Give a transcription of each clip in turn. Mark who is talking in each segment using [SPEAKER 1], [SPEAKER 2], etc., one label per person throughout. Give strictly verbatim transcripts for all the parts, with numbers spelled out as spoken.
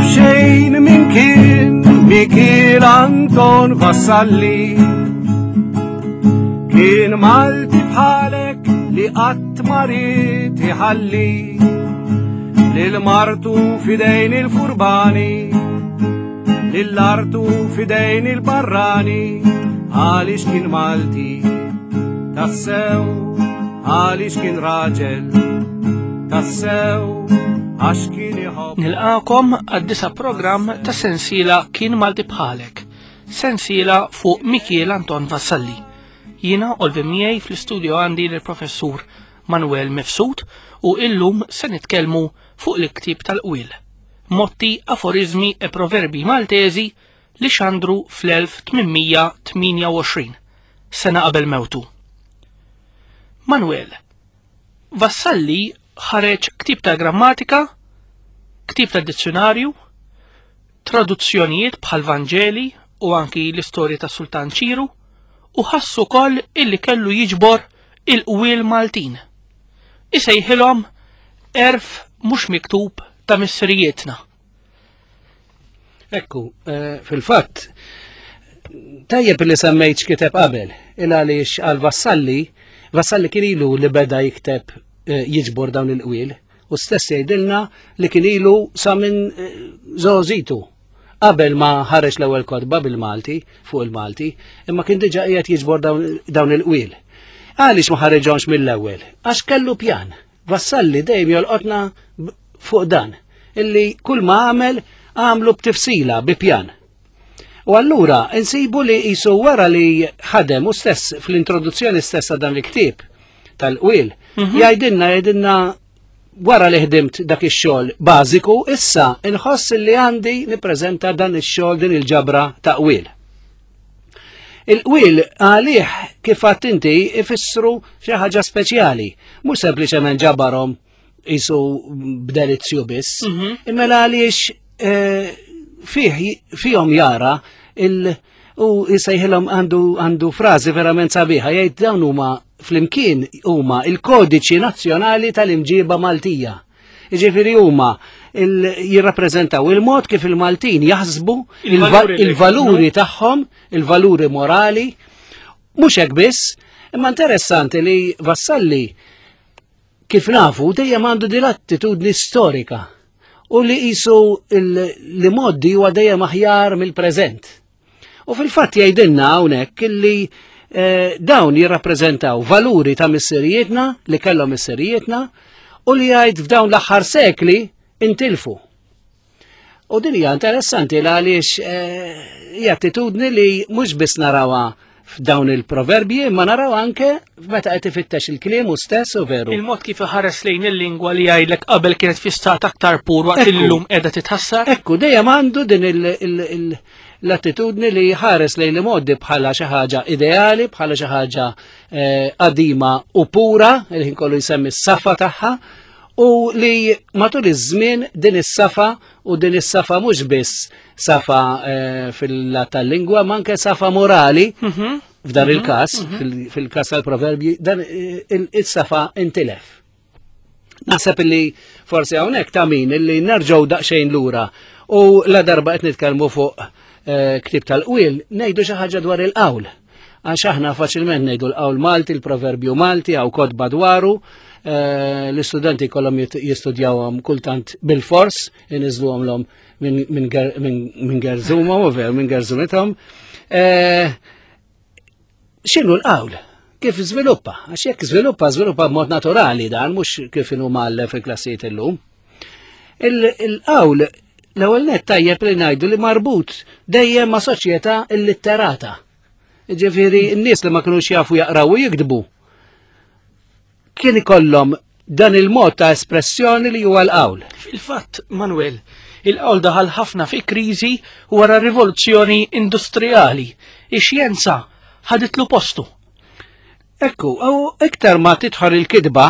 [SPEAKER 1] jaf xejn min kien Mikiel Anton Vassalli. Kien Malti bħalek li qatt ma ried iħalli lil martu f'idejn il-furbani, lil artu f'idejn il-barrani, għaliex kien Malti tassew, għaliex kien raġel tassew, għax kien iħobb.
[SPEAKER 2] Nilqakom għad-disa' programm ta' sensiela Kien Malti Bħalek, sensiela fuq Mikiel Anton Vassalli. Jiena Olvin miegħi fl-istudio għandi l-professur Manuel Mifsud u illum se nitkellmu fuq il-ktieb tal-qwiel. Motti, aforizmi e proverbi Maltesi li xandru fl-elf tmien mija tmienja u għoxrin, sena qabel mewtu. Manuel, Vassalli ħareġ ktieb ta' grammatika, ktieb ta' dizzjonarju, traduzzjonijiet bħal Vanġeli u anki l-istorja ta' Sultan Ċiru, u ħassu koll illi kellu jiġbor il-qwiel Maltin. Isejħilhom għerf mhux miktub ta' missirijietna.
[SPEAKER 3] Ekku, eh, fil-fatt, tajjeb li semmejt x'kiteb qabel, il għaliex għal Vassalli, Vassalli kien ilu li beda jikteb eh, jiġbor dawn il-qwiel, u stess jgħidilna li kien ilu sa minn eh, żgħożitu. Qabel ma ħareġ l-ewwel kotba bil-Malti, fuq il-Malti, imma kien diġà qiegħed jiġbor dawn il-qwiel. Għaliex ma ħareġhomx mill-ewwel? Għax kellu pjan. Vassalli dejjem jolqotna fuq dan, illi kull ma għamel għamlu b'tifsila, bi pjan. U allura insibu li jisu wara li ħadem u stess fl-introduzzjoni stessa dan il-ktieb tal-qwiel, mhm. jgħidilna jgħidilna wara li ħdimt dak ix-xogħol bażiku, issa inħoss li għandi nippreżenta dan ix-xogħol, din il-ġabra ta' qwiel. Il-qwiel għalih, kif għedt inti, ifissru xi ħaġa speċjali, mhux sempliċement ġabarhom jisu b'delizzju biss, mhm. imma għaliex eh, fih fihom jara il u jisejħilhom, għandu għandu frażi verament sabiħa, jgħid dawn huma flimkien huma il-kodiċi nazzjonali tal-imġiba Maltija. Jiġifieri huma jirrappreżentaw il-mod kif il-Maltin jaħsbu, il-valuri tagħhom, il-valuri morali. Mhux hekk biss, imma interessanti li Vassalli, kif nafu, dejjem għandu din l-attitudni storika u li jisu l-imgħoddi huwa dejjem aħjar mill-preżent. U fil-fatt jgħidilna hawnhekk illi eh, dawn jirrappreżentaw valuri ta' missirijietna li kellhom missirijietna u li jgħid f'dawn l-aħħar sekli intilfu. U din hija interessanti għaliex eh, hija attitudni li mhux biss narawha f'dawn il-proverbji, ma naraw anke meta qed ifittex il-kliem u stess u veru.
[SPEAKER 2] Il-mod kif iħares lejn il-lingwa li jgħidlek qabel kienet fi stat aktar pur waqt illum qiegħda titħassar.
[SPEAKER 3] Ekku, dejjem għandu din l-attitudni li ħares lejn l-modi bħala xi ħaġa ideali, bħala xi ħaġa eh, qadima u pura, il-ħin kollu jsemmi s-safa tagħha, u li matul iż-żmien din is-safa, u din is-safa mhux biss safa eh, fil-lat tal-lingwa, ma anke safa morali, mhm. f'dan mhm. il-każ, mhm. fil-każ tal-proverbji, dan eh, is-safa intilef. Naħseb illi forsi hawnhekk ta' min illi nerġgħu daqsxejn lura u la darba qed nitkellmu fuq eh, ktieb tal-qwiel, ngħidu xi ħaġa dwar il-qawl. Għax aħna faċilment ngħidu l-qawl Malti, il-proverbju Malti, għaw kotba dwaru, eh, l-istudenti kollhom jistudjawhom kultant bil-fors, iniżluhom l minn gerzumhom u veru minn gerzumithom. Eh, x'inhu l-qawl? Kif żviluppa? Għax jekk żviluppa, żviluppa b'mod naturali dan, mhux kif inhu mal fil-klassijiet illum. Il-qawl l-ewwel net tajjeb li ngħidu li marbut dejjem ma' soċjetà illitterata. Ġifieri n-nies li ma kinux jafu jaqraw u jiktbu kien ikollhom dan il-mod ta' espressjoni li huwa l-qawl.
[SPEAKER 2] Fil-fatt, Manuel, il-qawl daħal ħafna fi kriżi wara rivoluzzjoni industrijali. Ix-xjenza ħaditlu postu.
[SPEAKER 3] Ekku, u iktar ma tidħol il-kitba,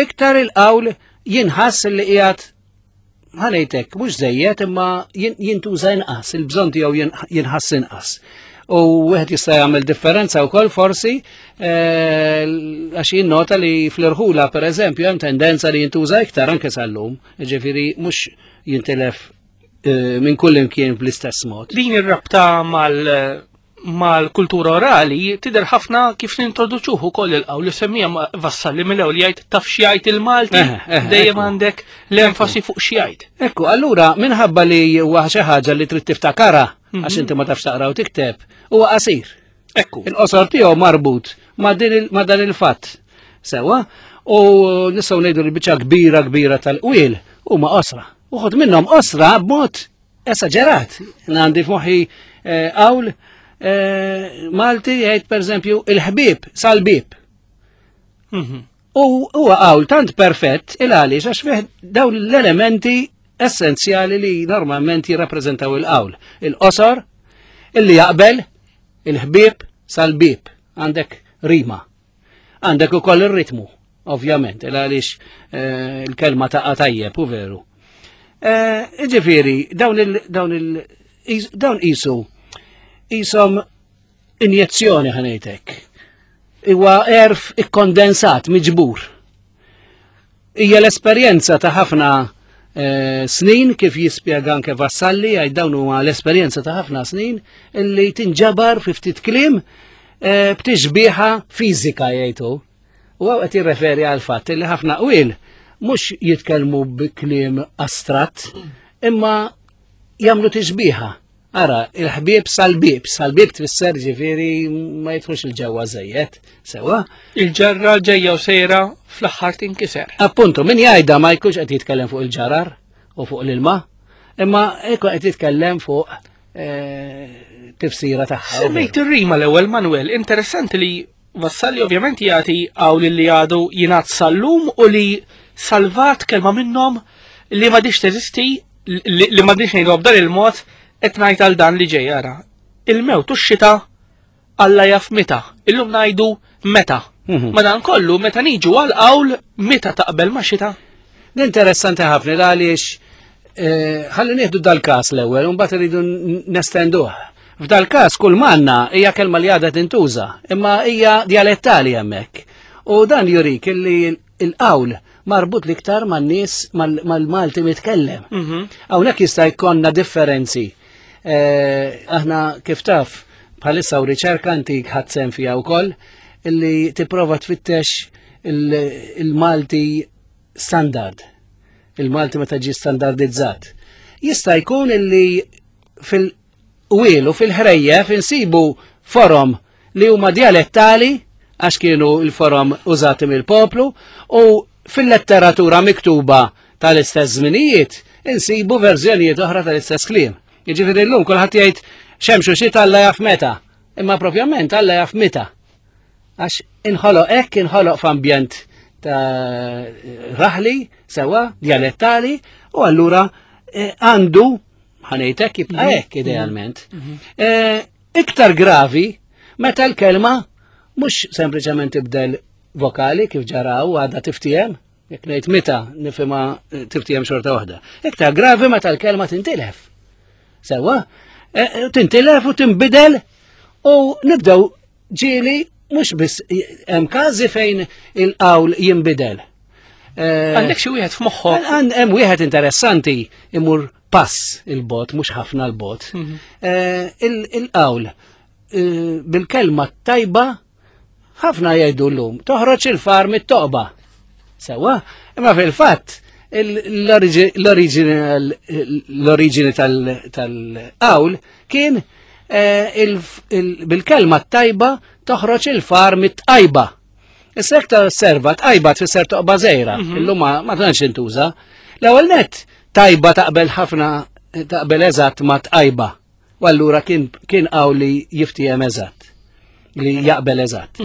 [SPEAKER 3] iktar il-qawl jinħass li qiegħed, ħa ngħidlek, mhux żejjed, imma jintuża inqas, il-bżonn tiegħu jinħass inqas. U wieħed jista' jagħmel differenza wkoll forsi eh, għax jinnota li fl-irħula, pereżempju, hemm tendenza li jintuża iktar anke sal-lum, ġifieri mhux jintilef eh, minn kull imkien bl-istess mod.
[SPEAKER 2] Din ir-rabta mal mal-kultura orali tidher ħafna kif nintroduċuh ukoll il-qawl li semmija Vassalli mill-ewwel jgħid taf x'jgħid il-Malti, dejjem għandek l-enfasi fuq x'jgħid.
[SPEAKER 3] Ekku, allura minħabba li huwa xi ħaġa li trid tiftakara għax inti ma tafx taqra u tikteb, huwa qasir.
[SPEAKER 2] Ekku.
[SPEAKER 3] Il-qosor tiegħu marbut ma' dan il-fatt. Sewa, u nistgħu ngħidu li biċċa kbira kbira tal-qwiel huma qosra. Uħud minnhom qosra b'mod esaġerat. Għandi f'moħħi qawl Malti jgħid pereżempju il-ħbieb sal-bieb. U huwa qawl tant perfett il għaliex għax fih dawn l-elementi essenzjali li normalment jirrappreżentaw il-qawl. Il-qosor, illi jaqbel, il-ħbieb sal-bieb. Għandek rima. Għandek ukoll ir-ritmu, ovvjament, il għaliex il-kelma taqa' tajjeb u veru. Ġifieri, dawn il dawn il dawn qisu qishom injezzjoni ħanejtek. Huwa erf ikkondensat, miġbur. Hija l-esperjenza ta' ħafna snin, kif jispjega anke Vassalli, għaj dawn huma l-esperjenza ta' ħafna snin illi tinġabar fi ftit kliem b'tixbieħa fiżika jgħidu. U għaw qed jirreferi għal fatt illi ħafna qwiel mhux jitkellmu bi kliem astratt, imma jagħmlu tixbieħa. Ara, il-ħbieb sal-bieb, sal-bieb tfisser ġifieri ma jidħlux il-ġewwa żejjed, sewa.
[SPEAKER 2] Il-ġarra ġejja u sejra fl-aħħar tinkiser.
[SPEAKER 3] Appuntu, min jgħidha ma jkunx qed jitkellem fuq il-ġarar u fuq l-ilma, imma ekku qed jitkellem fuq tifsira tagħha.
[SPEAKER 2] Semmejt ir-rima l-ewwel, Manuel, interessanti li Vassalli ovvjament jagħti hawn li għadu jingħad sal-lum u li salvat kelma minnhom li m'għadix teżisti, li m'għadix ngħidu b'dan il-mod qed ngħid għal dan li ġej ara. Il-mewt u x-xita Alla jaf meta, illum ngħidu meta. Madankollu meta niġu għal qawl meta taqbel ma' xita.
[SPEAKER 3] Interessanti ħafna għaliex ħalli nieħdu dal-każ l-ewwel u mbagħad irridu nestenduh. F'dal-każ kull manna hija kelma li għadha tintuża, imma hija dialettali hemmhekk. U dan jurik li l-qawl marbut l-iktar man-nies mal-Malti mitkellem. Hawnhekk jista' jkollna differenzi. Aħna kif taf bħalissa u riċerka antik ħadd sehem fiha wkoll illi tipprova tfittex il-Malti standard. Il-Malti meta ġie standardizzat. Jista' jkun illi fil-qwiel u fil-ħrejjef insibu forom li huma dialettali għax kienu l-forom użati mill-poplu u fil-letteratura miktuba tal-istess żminijiet insibu verżjonijiet oħra tal-istess kliem. Jiġifieri llum kulħadd jgħid xemxu xita Alla jaf meta, imma propjament Alla jaf meta. Għax inħoloq hekk, inħoloq f'ambjent ta' raħli, sewa, dialettali, u allura għandu, ħanejtek, jibqa' hekk idealment. Iktar gravi meta l-kelma mhux sempliċement tibdel vokali kif ġaraw għadha tiftiem, jekk ngħid meta nifhimha tiftiem xorta waħda. Iktar gravi meta l-kelma tintilef. Sewa, tintilef u tinbidel u nibdew ġieli mhux biss hemm każi fejn il-qawl jinbidel.
[SPEAKER 2] Għandek xi wieħed f'moħħok?
[SPEAKER 3] Hemm wieħed interessanti imur pass il-bot, mhux ħafna l-bot. Il-qawl bil-kelma tajba ħafna jgħidu llum, toħroġ il-far mit-toqba. Sewa, imma fil-fatt l-oriġini tal-qawl kien bil-kelma tajba toħroġ il-far mit-tqajba. Issa jekk serva tqajba tfisser toqba żgħira, illum ma tantx intuża. L-ewwel nett tajba taqbel ħafna taqbel eżatt ma tqajba. U allura kien qawl li jiftiehem eżatt, li jaqbel eżatt.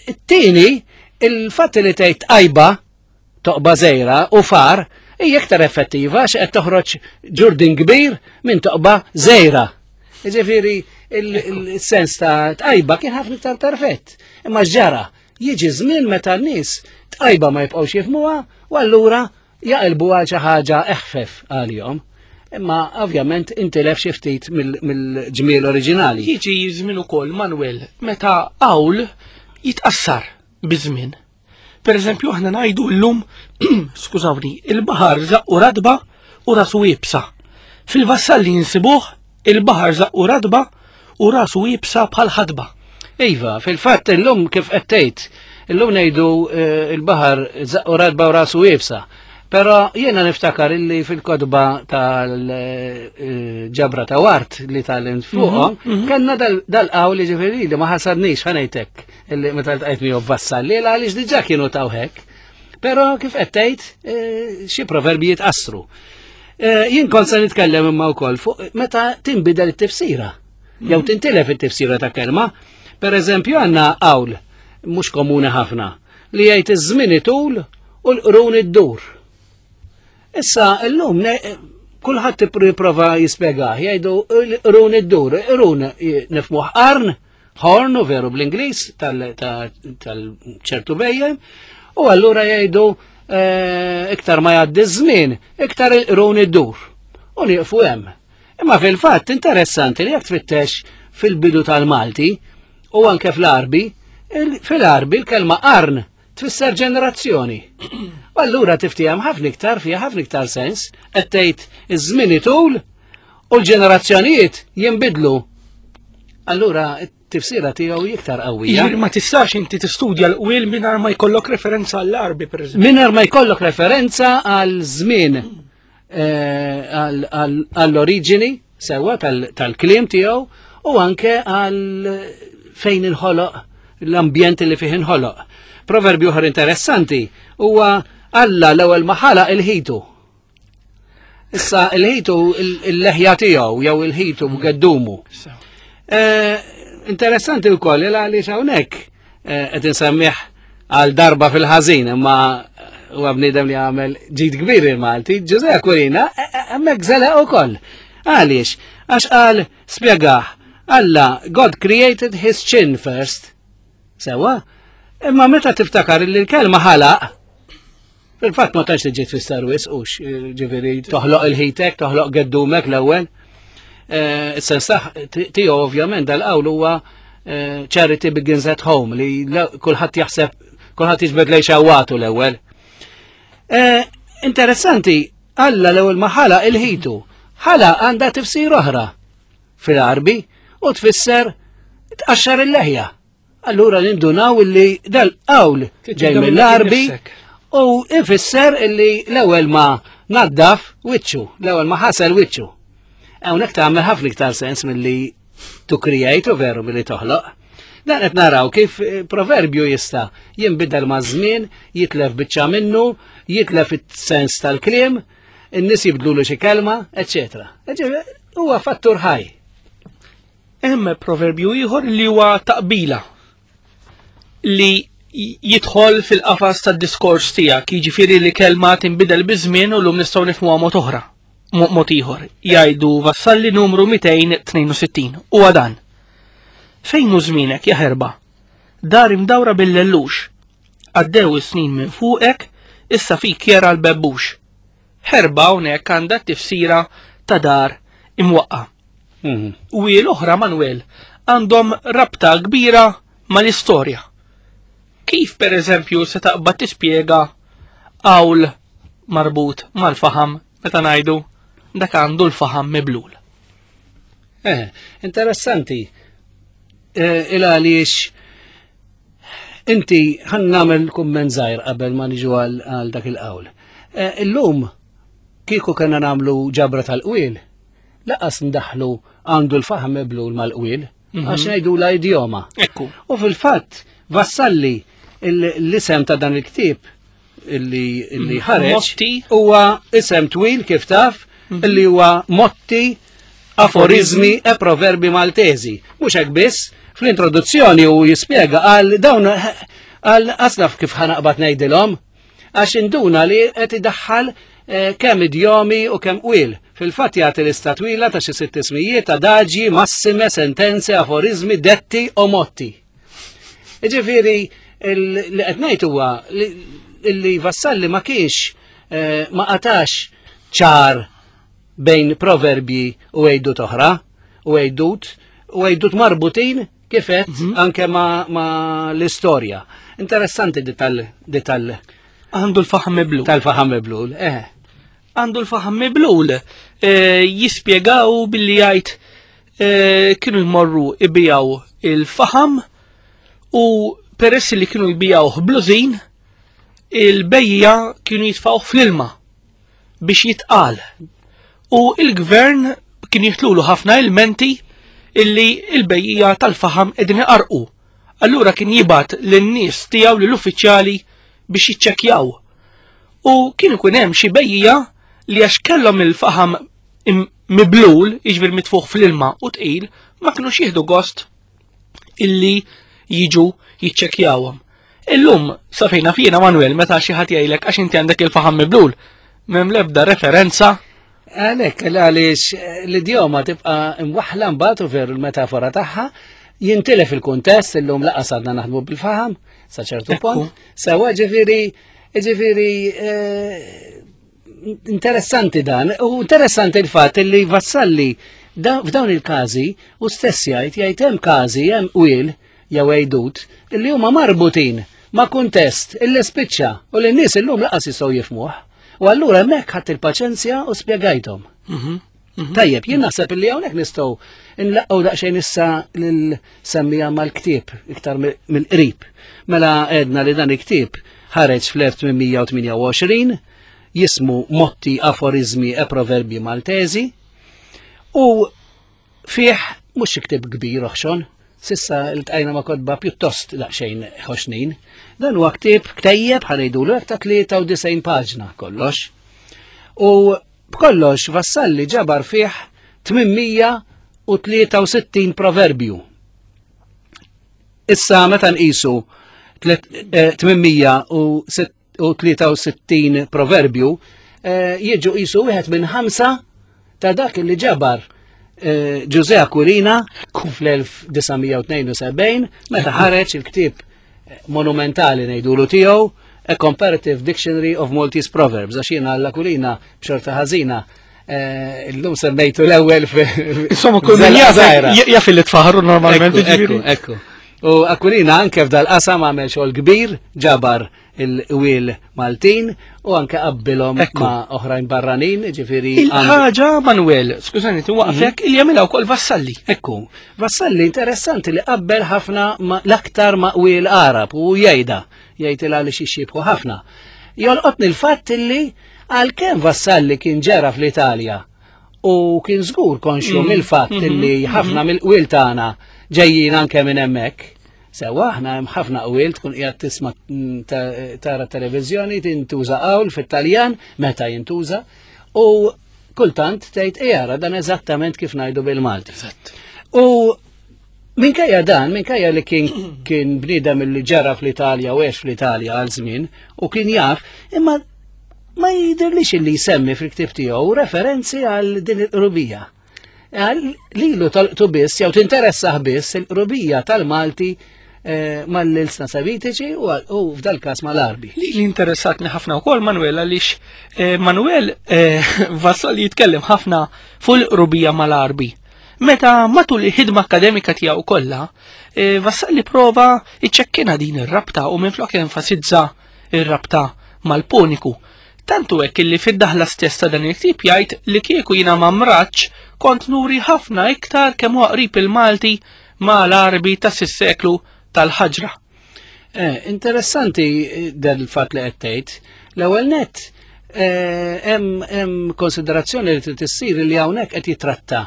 [SPEAKER 3] It-tieni, il-fatt li tgħid tqajba toqba żgħira u far hija iktar effettiva għax qed toħroġ ġurdin kbir minn toqba żgħira. Jiġifieri il-sens ta' tqajba kien ħafna iktar perfett. Imma x'ġara, jiġi żmien meta n-nies tqajba ma jibqgħux jifhmuha u allura jaqilbu għal xi ħaġa eħfef għalihom. Imma ovvjament intilef xi ftit mill-ġmiel oriġinali.
[SPEAKER 2] Jiġi żmien ukoll, Manuel, meta qawl jitqassar biż-żmien. Per eżempju, aħna ngħidu llum, skużawni, il-baħar żaqqu radba u rasu iebsa. Fil-Vassalli nsibuh il-baħar żaqqu radba u rasu iebsa bħal ħadba.
[SPEAKER 3] Iva, fil-fatt illum kif qed tgħid, illum ngħidu eh, il-baħar żaqqu radba u rasu iebsa. Però jiena niftakar illi fil-kotba tal-ġabra ta' Wart li tal fuqhom, mhm, mhm. kellna dal-qawl li ġifieri li ma ħasadnix ħa ngħidlek illi meta ltqajt miegħu Vassalli għaliex diġà kienu taw hekk. Però kif qed tgħid eh, xi proverbi jitqassru. Eh, jien kont se nitkellem imma wkoll fuq meta tinbidel it-tifsira. Jew mhm. tintilef it-tifsira ta' kelma. Per eżempju għandna qawl mhux komuni ħafna li jgħid iż-żmien itul u l-qrun iddur. Issa llum kulħadd jipprova jispjegah, jgħidu l-qrun iddur, qrun nifhmuh qarn, horn u veru bl-Ingliż tal-ċertu bhejjem, u allura jgħidu eh, iktar ma jgħaddi żmien, iktar il-qrun iddur. U nieqfu hemm. Imma fil-fatt interessanti li jekk tfittex fil-bidu tal-Malti u anke fl-Arbi, fil-Arbi l-kelma qarn tfisser ġenerazzjoni. U allura tiftiehem ħafna iktar fiha ħafna iktar sens, qed tgħid iż-żmien itul u l-ġenerazzjonijiet jinbidlu. Allura t-tifsira tiegħu iktar qawwija.
[SPEAKER 2] Jiġifieri ma tistax inti tistudja l-qwiel mingħajr ma jkollok referenza għall-Arbi, pereżempju.
[SPEAKER 3] Mingħajr ma jkollok referenza għal żmien eh, għall-oriġini sewwa tal-kliem tiegħu u anke għal fejn inħoloq l-ambjent li fih inħoloq. Proverbju oħra interessanti huwa Alla l-ewwel ma ħalaq il-ħitu. Issa il-ħitu il-leħja tiegħu jew il-ħitu b'geddumu. Eh, interessanti wkoll il għaliex hawnhekk eh, qed insemmih għal darba fil-ħażin imma huwa bniedem li għamel ġid kbir il-Malti, Ġużè Aquilina hemmhekk żelaq ukoll. Għaliex? Għax qal spjegah Alla, God created his chin first. Sewwa? Imma meta tiftakar li l-kelma ħalaq, fil-fatt ma tantx tiġi tfisser wisq hux, ġifieri toħloq il-ħitek, toħloq geddumek l-ewwel. Eh, is-sens tiegħu ovvjament dal-qawl huwa eh, charity begins at home li kulħadd jaħseb kulħadd jiġbed lejn xawatu l-ewwel. Eh, interessanti, Alla l-ewwel ma ħalaq il-ħitu. Ħalaq għandha tifsir oħra fil-Arbi u tfisser tqaxxar il-leħja. Allura nindunaw illi dal-qawl ġej mill-Arbi u ifisser illi l-ewwel ma naddaf wiċċu, l-ewwel ma ħasel wiċċu. Hawnhekk tagħmel ħafna iktar sens milli to create u veru milli toħloq. Dan qed naraw kif eh, proverbju jista' jinbidel ma' żmien, jitlef biċċa minnu, jitlef it-sens tal-kliem, in-nies jibdlu xi kelma, eċetera. Huwa fattur ħaj.
[SPEAKER 2] Hemm proverbju ieħor li huwa taqbila li jidħol fil-qafas tad-diskors tiegħek, jiġifieri li kelma tinbidel biż-żmien u llum nistgħu nifhmuha mod oħra, mod ieħor. Jgħidu Vassalli numru mitejn tnejn u sittin u dan. Fejn hu żmienek ja ħerba? Dar imdawra bil-lellux. Għaddew is-snin minn fuqek, issa fik jera l-bebbux. Ħerba hawnhekk għandha tifsira ta' dar imwaqqa. Mhm. U l-oħra, Manuel, għandhom rabta kbira mal-istorja. Kif per eżempju se taqbad tispjega qawl marbut mal-faħam meta ngħidu dak għandu l-faħam miblul?
[SPEAKER 3] Eh, interessanti. Eh, il għaliex inti ħa nagħmel kumment żgħir qabel ma niġu għal dak il-qawl. Eh, illum kieku kena nagħmlu ġabra tal-qwiel, lanqas ndaħlu għandu l-faħam miblul mal-qwiel, mhm. għax ngħidu la idjoma.
[SPEAKER 2] Ekku.
[SPEAKER 3] U fil-fatt, Vassalli l-isem ta' dan il-ktieb illi illi mhm. ħareġ huwa isem twil kif taf mhm. illi huwa Motti, Aforizmi e Proverbi Maltesi. Mhux hekk biss, fl-introduzzjoni u jispjega għal dawn għal aslaf kif ħa naqbad ngħidilhom għax induna li qed idaħħal eh, kemm idjomi u kemm qwiel. Fil-fatt jagħti lista twila ta' xi sitt ismijiet ta' adaġi, massime, sentenze, aforizmi, detti u motti. Ġifieri li qed ngħid huwa li Vassalli ma kienx eh, ma qatax ċar bejn proverbji u għejdut oħra u għejdut u għejdut marbutin kifet mm -hmm. anke ma, ma l-istorja. Interessanti di tal di tal
[SPEAKER 2] Għandu l-faħam miblul.
[SPEAKER 3] Tal-faħam miblul, eh.
[SPEAKER 2] għandu l-faħam miblul. Eh, jispjegaw billi jgħid eh, kienu jmorru ibijaw il-faħam u peress li kienu jbijaw blużin, il-bejja kienu jitfgħuh fl-ilma biex jitqal. U il-gvern kien jitlulu ħafna ilmenti illi il-bejja tal-faħam qegħdin iqarqu. Allura kien jibgħat lin-nies tiegħu lill-uffiċjali biex jiċċekkjaw. U kien ikun hemm xi bejja li għax kellhom il-faħam im- miblul, jiġifieri mitfuħ fl-ilma u tqil, ma kinux jieħdu gost illi jiġu jiċċekkjawhom. Illum, sa fejna fjena Manuel, meta xi ħadd jgħidlek għax inti għandek il-faħam miblul, m'hemm l-ebda referenza.
[SPEAKER 3] Għalek, għaliex l-idjoma tibqa imwaħla mbagħad u veru l-metafora tagħha jintilef il-kuntest illum laqas għadna naħdmu bil-faħam sa ċertu
[SPEAKER 2] Ekku.
[SPEAKER 3] punt. Sewa ġifieri ġifieri eh, interessanti dan u interessanti il-fatt li Vassalli da- f'dawn il-każi u stess jgħid jgħid hemm każi hemm qwiel jew għejdut illi huma marbutin ma' kuntest illi spiċċa u li n-nies illum laqas jistgħu jifhmuh. U allura hemmhekk ħadt il-paċenzja u spjegajthom. Tajjeb, jien naħseb illi hawnhekk nistgħu nlaqqgħu daqsxejn issa lil semmija mal-ktieb iktar mill-qrib. Mela għedna li dan il-ktieb ħareġ fl-elf tmien mija u tmienja u għoxrin, jismu Motti, Aforizmi e Proverbi Maltesi u fih mhux ktieb kbir oħxon, s'issa iltqajna ma' kotba pjuttost daqsxejn ħoxnin. Dan huwa ktieb ktejjeb ħa ngħidulu hekk ta' tlieta u disgħin paġna kollox. U b'kollox Vassalli ġabar fih tmien mija u tlieta u sittin proverbju. Issa meta nqisu tmien mija u tlieta u sittin proverbju, eh, jiġu qisu wieħed minn ħamsa ta' dak li ġabar eh, Ġużè Aquilina fl-elf disa' mija u tnejn u sebgħin meta ħareġ il-ktieb monumentali ngħidulu tiegħu, A Comparative Dictionary of Maltese Proverbs, għax jiena l-Aquilina b'xorta ħażina eh, illum semmejtu l-ewwel.
[SPEAKER 2] Insomma, kull min jaf jaf li tfaħru normalment.
[SPEAKER 3] Ekku, ekku, ekku. U Aquilina anke f'dal qasam għamel xogħol kbir, ġabar il-qwiel Maltin u anke qabbilhom
[SPEAKER 2] Ekku.
[SPEAKER 3] ma' oħrajn barranin, ġifieri.
[SPEAKER 2] Il-ħaġa, Manuel, skużani, waqfek, il jagħmilha wkoll Vassalli.
[SPEAKER 3] Ekku, Vassalli interessanti li qabbel ħafna ma- l-aktar ma' qwiel Arab u jgħidha, jgħid il għaliex jixxiebħu ħafna. Jolqotni l-fatt li għalkemm Vassalli kien ġera fl-Italja u kien żgur konxju
[SPEAKER 2] Mm.
[SPEAKER 3] mill-fatt
[SPEAKER 2] Mhm,
[SPEAKER 3] li ħafna mill-qwiel tagħna ġejjin anke minn hemmhekk. Sewa, aħna hemm ħafna qwiel tkun qiegħed tisma' mm, ta- tara televiżjoni tintuża qawl fit-Taljan meta jintuża u kultant tgħid ejara dan eżattament kif ngħidu bil-Malti. U minkejja dan, minkejja li kien kien bniedem li ġara fl-Italja u għex fl-Italja għal żmien u kien jaf, imma ma jidirlix li jsemmi fil-ktib tiegħu referenzi għal din il-qrubija. Għal lilu tal-qtu biss, jew tinteressah biss il-qrubija tal-Malti eh, mal-ilsna Semitiċi u u f'dal każ mal-Arbi.
[SPEAKER 2] Li li interessatni ħafna wkoll, Manuel, għaliex eh, Manuel eh, Vassalli jitkellem ħafna fuq il-qrubija mal-Arbi. Meta matul il-ħidma akademika tiegħu kollha, eh, Vassalli prova iċċekkina din ir-rabta u minflok enfasizza ir-rabta mal-Puniku. Tantu hekk illi fid-daħla stess ta' dan il-ktieb jgħid li kieku jiena ma mratx kont nuri ħafna iktar kemm huwa qrib il-Malti ma' l-Arbi ta' sis-seklu tal-ħaġra.
[SPEAKER 3] Eh, interessanti eh, del-fat li qed tgħid. L-ewwel net eh, hemm hemm konsiderazzjoni li trid issir li hawnhekk qed jitratta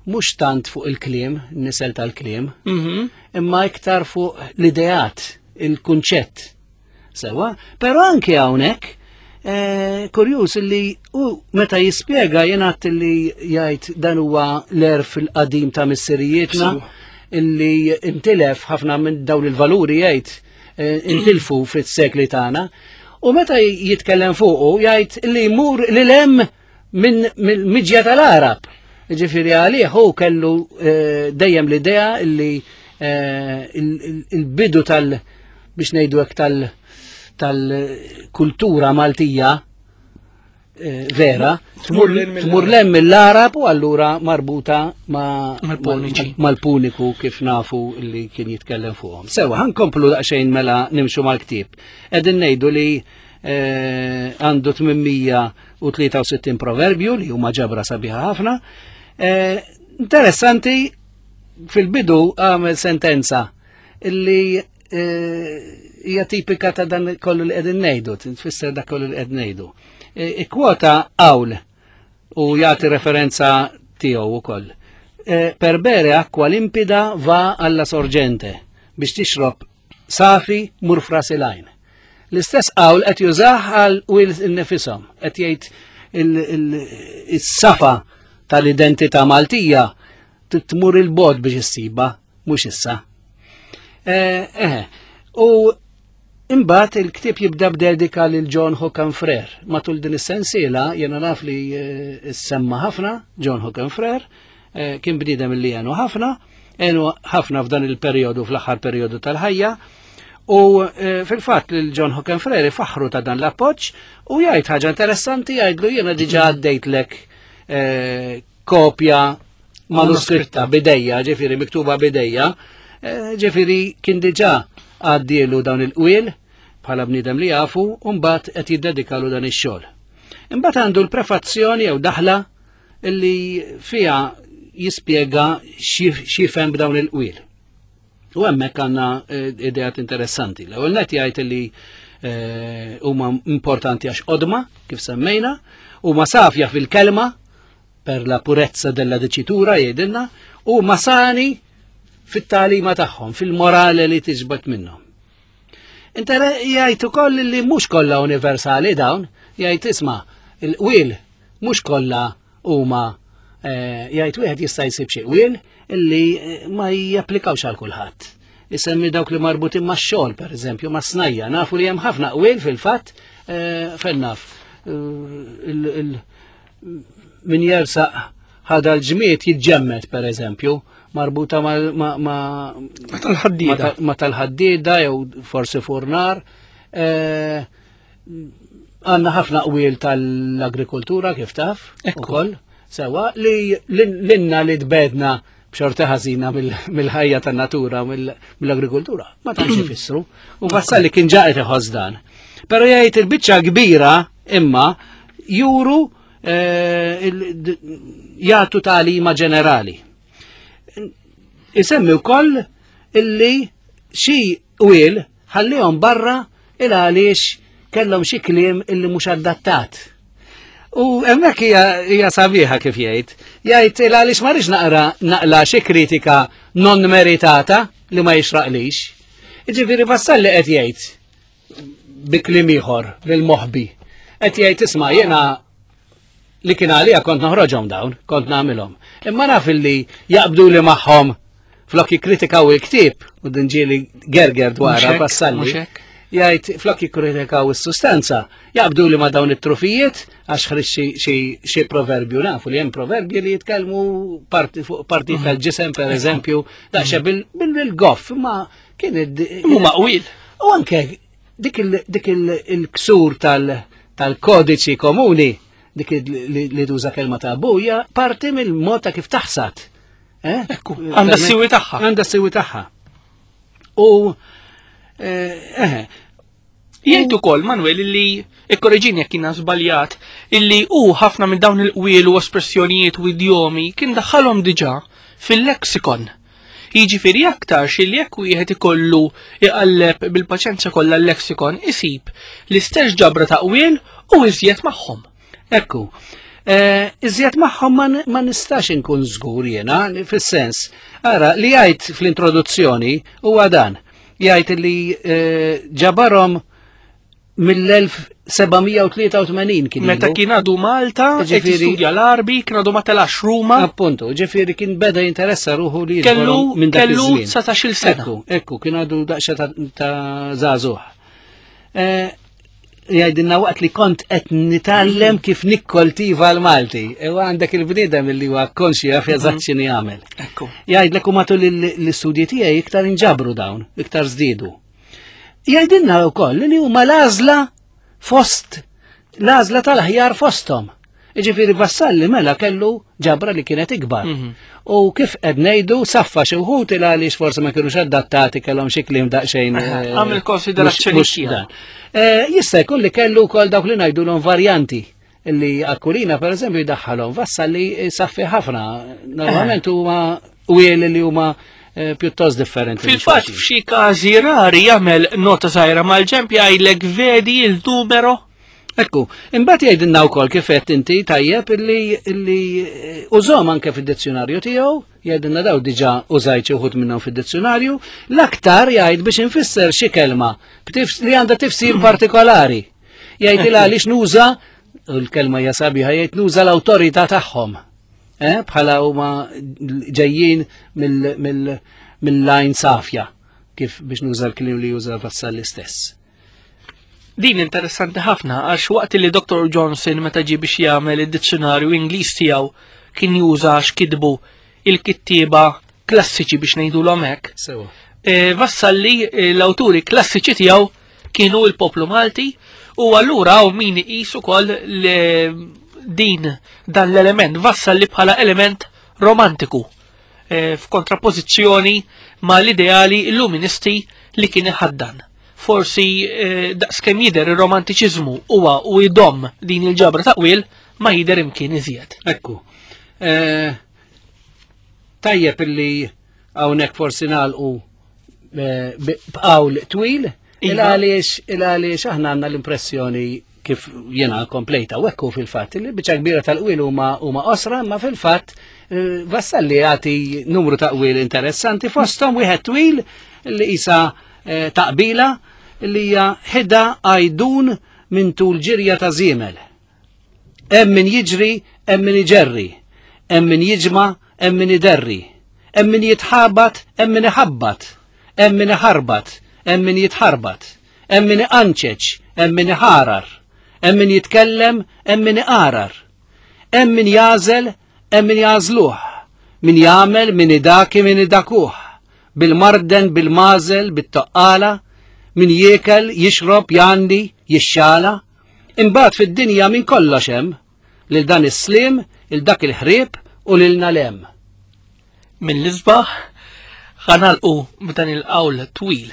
[SPEAKER 3] mhux tant fuq il-kliem, nisel tal-kliem,
[SPEAKER 2] Mhm.
[SPEAKER 3] imma iktar fuq l-ideat, il-kunċett. Sewa, però anke hawnhekk eh, kurjuż li u meta jispjega jingħad li jgħid dan huwa l-għerf il-qadim ta' missirijietna
[SPEAKER 2] Sewa.
[SPEAKER 3] illi intilef ħafna minn dawn il-valuri jgħid eh, intilfu fis-sekli tagħna. U meta jitkellem fuqu jgħid li jmur lil hemm minn mill-miġja tal-Arab. Ġifieri għalih hu kellu eh, dejjem l-idea illi eh, il- il- il-bidu tal biex ngħidu hekk tal tal-kultura Maltija eh, vera
[SPEAKER 2] Tmur lil mill-
[SPEAKER 3] tmur lem mill-Arab u allura marbuta ma'
[SPEAKER 2] Mal-Puniċi.
[SPEAKER 3] mal-Puniku kif nafu li kien jitkellem fuqhom. Sewa, ħa nkomplu daqsxejn mela nimxu mal-ktieb. Qegħdin ngħidu li eh, għandu tmien mija u tlieta u sittin proverbju li huma ġabra sabiħa ħafna. Eh, interessanti, fil-bidu għamel sentenza illi eh, hija tipika ta' dan kollu li qegħdin ngħidu, tfisser dak kollu li qegħdin ngħidu. Ikkwota qawl u jagħti referenza tiegħu ukoll. Eh, per bere acqua limpida va alla sorgente, biex tixrob safi mur f'ras il-għajn. L-istess qawl qed jużah għal qwiel innifisom, qed jgħid il-safa tal-identità Maltija tmur il-bogħod biex issiba, mhux issa. Eh, eh, u imbagħad il-ktieb jibda b'dedika lil John Hookham Frere. Matul din is-sensiela jiena naf li eh, semma ħafna John Hookham Frere, eh, kien bniedem li għenu ħafna, għenu ħafna f'dan il-perjodu, fl-aħħar perjodu tal-ħajja. U eh, fil-fatt lil John Hookham Frere faħru ta' dan l-appoġġ u jgħid ħaġa interessanti, jgħidlu: jiena diġà għaddejtlek kopja manuskritta b'idejja, ġifieri miktuba b'idejja, ġifieri kien diġà għaddielu dawn il-qwiel bħala bniedem li jafu, u mbagħad qed jiddedikalu dan ix-xogħol. Imbagħad għandu l-prefazzjoni jew daħla illi fiha jispjega x'jifhem b'dawn il-qwiel. U hemmhekk għandna eh, ideat interessanti. L-ewwel net jgħid li eh, huma importanti għax qodma, kif semmejna, huma safja fil-kelma, per la purezza della dicitura jgħidilna, u sani fit-tagħlima tagħhom, fil-morale li tiġbed minnhom. Inter jgħid ukoll li mhux kollha universali dawn, jgħid isma' il-qwiel mhux kollha huma, eh, jgħid wieħed jista' jsib xi qwiel illi eh, ma japplikawx għal kulħadd. Isemmi dawk li marbutin ma' xogħol, per eżempju, ma' snajja. Nafu li hemm ħafna qwiel fil-fatt, eh, fejn naf. Min jersaq ħda l-ġmied jiġġemmed, per eżempju, marbuta ma'
[SPEAKER 2] ma' tal-ħaddida.
[SPEAKER 3] Ma' tal-ħaddida jew forsi furnar. Għandna ħafna qwiel tal-agrikoltura, kif taf, ukoll, sewa li l-inna li tbegħedna b'xorta ħażina mill-ħajja tan-natura, mill-agrikoltura, ma tantx ifissru. U Vassalli kien ġa qed iħoss dan. Però jgħid il-biċċa kbira imma juru eh, jagħtu tagħlima ġenerali. Isemmi wkoll illi xi qwiel ħallihom barra il għaliex kellhom xi kliem illi mhux adattat. U hemmhekk hija sabiħa kif jgħid. Jgħid il għaliex ma rridx naqra naqla xi kritika non meritata li ma jixraqlix. Jiġifieri Vassalli qed jgħid bi kliem ieħor lil-moħbi. Qed jgħid: isma', jiena li kien għalija kont noħroġhom dawn, kont nagħmilhom. Imma naf illi jaqbdu li magħhom flok jikkritikaw il-ktieb, u din ġieli gerger dwarha Vassalli. Jgħid flok jikkritikaw is-sustanza, jaqbdu li ma dawn it-trufijiet għax ħriġ xi proverbju. Nafu li hemm proverbji li jitkellmu parti fuq parti mhm. tal-ġisem, per eżempju, daqsxejn bil-goff, ma kien
[SPEAKER 2] Huma qwiel.
[SPEAKER 3] U anke dik il-ksur tal-kodiċi komuni, dik li tuża kelma ta' buja, parti mill-mod ta' kif taħsad.
[SPEAKER 2] Eh? Ekku, għandha s-siwi tagħha.
[SPEAKER 3] Għandha s-siwi tagħha. U eh,
[SPEAKER 2] Jgħid ukoll Manuel illi, ikkoreġini jekk jiena żbaljat, illi hu ħafna minn dawn il-qwiel u espressjonijiet u idjomi kien daħħalhom diġà fil-lexikon. Jiġifieri aktar xi jekk wieħed ikollu iqalleb bil-paċenzja kollha l-lexikon, isib l-istess ġabra ta' qwiel u iżjed magħhom.
[SPEAKER 3] Ekku. Eh, iżjed magħhom ma nistax inkun żgur jiena, fis-sens. Ara, li jgħid fl-introduzzjoni huwa dan. Jgħid li eh, ġabarhom mill-elf seba' mija u tlieta u tmenin kien.
[SPEAKER 2] Meta kien għadu Malta, qed studja l-Arbi, kien għadu ma telax Ruma.
[SPEAKER 3] Appuntu, ġifieri kien beda jinteressa ruħu li
[SPEAKER 2] kellu minn dak kellu dsatax-il sena.
[SPEAKER 3] Ekku, ekku, kien għadu daqsxejn ta' żagħżugħ. Eh, jgħidilna waqt li kont qed nitgħallem kif nikkoltiva l-Malti. Ewa għandek il-bniedem li huwa konxju jaf eżatt mhm. x'inhi jagħmel.
[SPEAKER 2] Ekku.
[SPEAKER 3] Jgħidlek u matul l-istudji tiegħi iktar inġabru dawn, iktar żdiedu. Jgħidilna wkoll li huma l-għażla fost l-għażla tal-aħjar fosthom. Jiġifieri Vassalli mela kellu ġabra li kienet ikbar.
[SPEAKER 2] Mhm.
[SPEAKER 3] U kif qed ngħidu saffa xi wħud il għaliex forsi ma kinux adattati, kellhom xi kliem daqsxejn. eh,
[SPEAKER 2] Għamel konsiderazzjoni
[SPEAKER 3] mhux- mhux
[SPEAKER 2] tiegħu.
[SPEAKER 3] dan. Eh, Jista' jkun li kellu wkoll dawk li ngħidulhom varjanti li Aquilina per eżempju jdaħħalhom. Vassalli saffi ħafna. Normalment huma qwiel li huma eh, pjuttost differenti minn
[SPEAKER 2] Fil-fatt
[SPEAKER 3] xulxin.
[SPEAKER 2] F'xi każi rari jagħmel nota żgħira mal-ġenb, jgħidlek vedi il-numero.
[SPEAKER 3] Ekku, imbagħad jgħidilna wkoll, kif qed inti tajjeb, illi illi eh, użahom anke fid-dizzjonarju tiegħu, jgħidilna daw diġà użajt xi wħud minnhom fid-dizzjonarju, l-aktar jgħid biex infisser xi kelma b'tifs- li għandha tifsir partikolari. Jgħid il għaliex nuża, u l-kelma hija sabiħa, jgħid nuża l-awtorità tagħhom. Eh, bħala huma ġejjin mill- mill- mill-lajn safja, kif biex nuża l-kliem li juża Vassalli stess.
[SPEAKER 2] Din interessanti ħafna għax waqt li Doctor Johnson meta ġie biex jagħmel id-dizzjonarju Ingliż tiegħu kien juża x'kitbu il-kittieba klassiċi, biex ngħidulhom hekk.
[SPEAKER 3] Sewa.
[SPEAKER 2] E, Vassalli eh, l-awturi klassiċi tiegħu kienu il-poplu Malti u allura hawn min iqis ukoll li din dan l-element Vassalli bħala element romantiku e, f'kontrapożizzjoni ma l-ideali illuministi li kien iħaddan. Forsi eh, daqskemm jidher ir-romantiċiżmu huwa u jdom din il-ġabra ta' qwiel ma jidher imkien iżjed.
[SPEAKER 3] Ekku. Eh, Tajjeb illi hawnhekk forsi nagħlqu eh, bi- b'qawl twil,
[SPEAKER 2] Iva.
[SPEAKER 3] il għaliex il għaliex aħna għandna l-impressjoni, kif jena komplejta u ekku fil-fatt li biċċa kbira tal-qwiel huma huma qosra, ma fil-fatt eh, Vassalli jagħti numru ta' qwiel interessanti, fosthom wieħed twil li isa eh, taqbila li hija ħida għajdun minn tul ġirja ta' żiemel. Hemm min jiġri, hemm min iġerri, hemm min jiġma', hemm min iderri, hemm min jitħabat, hemm min iħabbat, hemm min iħarbat, hemm min jitħarbat, hemm min iqanċeċ, hemm min iħarar, hemm min jitkellem, hemm min iqarar, hemm min jażel, hemm min jażluh, min jagħmel, min idaki, min idakuh, bil-marden, bil-mażel, bit-toqqala, min jiekel, jixrob, jandi, jixxala, imbagħad fid-dinja minn kollox hemm, lil dan is-slim, il dak il-ħrieb u lil nalem.
[SPEAKER 2] Mill-isbaħ ħa nagħlqu b'dan il-qawl twil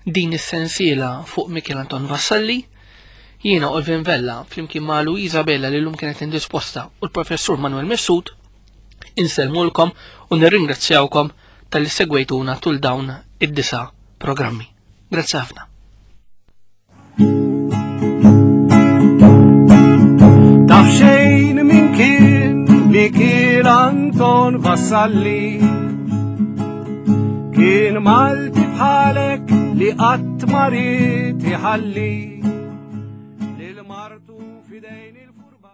[SPEAKER 2] din is-sensiela fuq Mikiel Anton Vassalli. Jiena Olvin Vella flimkien ma' Luisa Bella li llum kienet indisposta u l-professur Manuel Mifsud insellmulkom u nirringrazzjawkom talli segwejtuna tul dawn id-disa programmi. Grazzi ħafna.
[SPEAKER 1] Taf xejn min kien Mikiel Anton Vassalli? Kien Malti bħalek li qatt ma ried iħalli lil martu f'idejn il-furba.